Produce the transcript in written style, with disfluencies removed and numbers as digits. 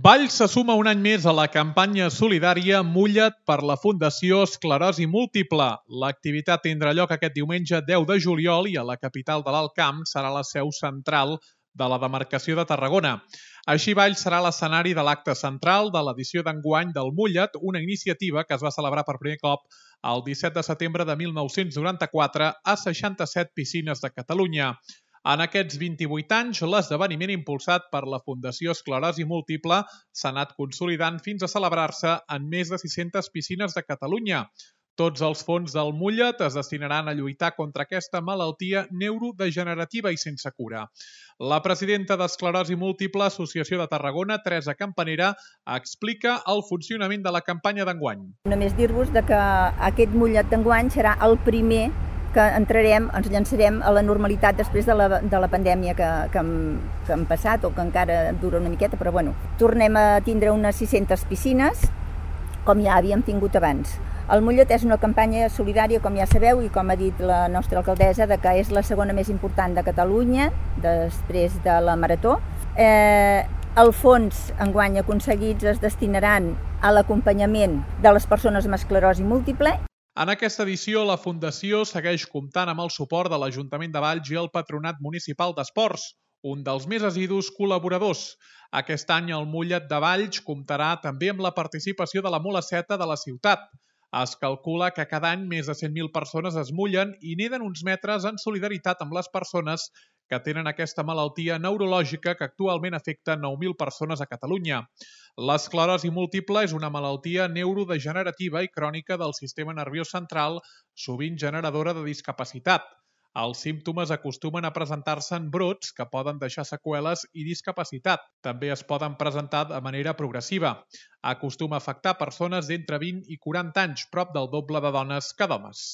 Valls se suma un any més a la campanya solidària Mulla't per la Fundació Esclerosi Múltiple. L'activitat tindrà lloc aquest diumenge 10 de juliol i a la capital de l'Alt Camp serà la seu central de la demarcació de Tarragona. Així, Valls serà l'escenari de l'acte central de l'edició d'enguany del Mulla't, una iniciativa que es va celebrar per primer cop el 17 de setembre de 1994 a 67 piscines de Catalunya. En aquests 28 anys, l'esdeveniment impulsat per la Fundació Esclerosi Múltiple s'ha anat consolidant fins a celebrar-se en més de 600 piscines de Catalunya. Tots els fons del Mulla't es destinaran a lluitar contra aquesta malaltia neurodegenerativa i sense cura. La presidenta d'Esclerosi Múltiple, Associació de Tarragona, Teresa Campanera, explica el funcionament de la campanya d'enguany. Només dir-vos que aquest Mulla't d'enguany serà el primer que ens llançarem a la normalitat després de la pandèmia que hem passat o que encara dura una miqueta, però bueno, tornem a tindre unes 600 piscines com ja havíem tingut abans. El Mulla't és una campanya solidària, com ja sabeu, i com ha dit la nostra alcaldessa, que és la segona més important de Catalunya, després de la Marató. Els fons enguany aconseguits es destinaran a l'acompanyament de les persones amb esclerosi múltiple. En aquesta edició, la Fundació segueix comptant amb el suport de l'Ajuntament de Valls i el Patronat Municipal d'Esports, un dels més assidus col·laboradors. Aquest any el Mulla't de Valls comptarà també amb la participació de la Mulaceta de la ciutat. Es calcula que cada any més de 100.000 persones es mullen i neden uns metres en solidaritat amb les persones que tenen aquesta malaltia neurològica que actualment afecta 9.000 persones a Catalunya. L'esclerosi múltiple és una malaltia neurodegenerativa i crònica del sistema nerviós central, sovint generadora de discapacitat. Els símptomes acostumen a presentar-se en brots que poden deixar seqüeles i discapacitat. També es poden presentar de manera progressiva. Acostuma a afectar persones d'entre 20 i 40 anys, prop del doble de dones que d'homes.